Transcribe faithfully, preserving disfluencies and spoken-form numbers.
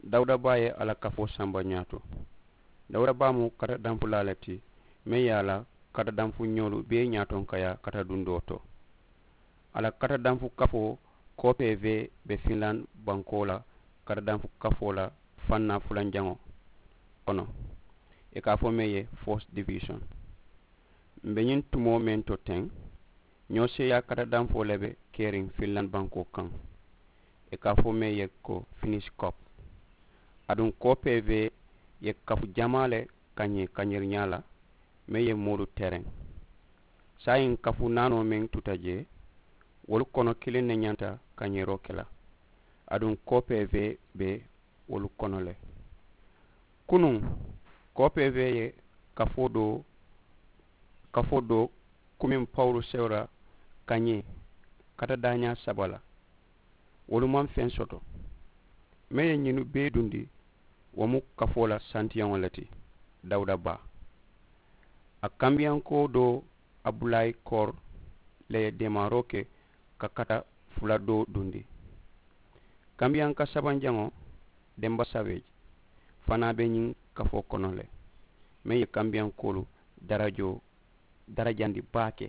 Dawuda baa ye a la kafoo samba ñaato. Dawuda baa mu kata danfulaa le ti meŋ ye a la kata danfu ñoolu bee ñaatonkayaa kata dundoo to. A la kata danfu kafoo koopee vee be finland bankoo la kata danfu kafoo la fannaa fulanjaŋo kono. Ì ka a fo meŋ ye force division. M̀ be ñiŋ tumoo meŋ to teŋ ñoo seeyaa kata danfoo le be keriŋ finland bankoo kaŋ. Ì ka a fo meŋ ye ko finish cop. Aduŋ koopee vee ye kafu jamaa le kañee kañeriñaa la meŋ ye moolu tereŋ. Saayiŋ kafu naanoo meŋ tuta jee wolu kono kiliŋ ne ñanta kañeeroo ke la. Aduŋ koopee vee be wolu kono le. Kunuŋ koopee vee ye kafoo doo kafoo doo kumiŋ pawuru sewura kañee kata daañaa saba la. Wolu maŋ feŋ soto. Meŋ ye ñinu bee dundi wo mu kafoo la santiyaŋo le ti. Dawuda baa a kambiyankoo doo abulayi koor le ye deemaaroo ke ka kata fula doo dundi. Kambiyanka sabanjaŋo demba saweeji fanaa be ñiŋ kafoo kono le meŋ ye kambiyankoolu darajoo darajandi baake.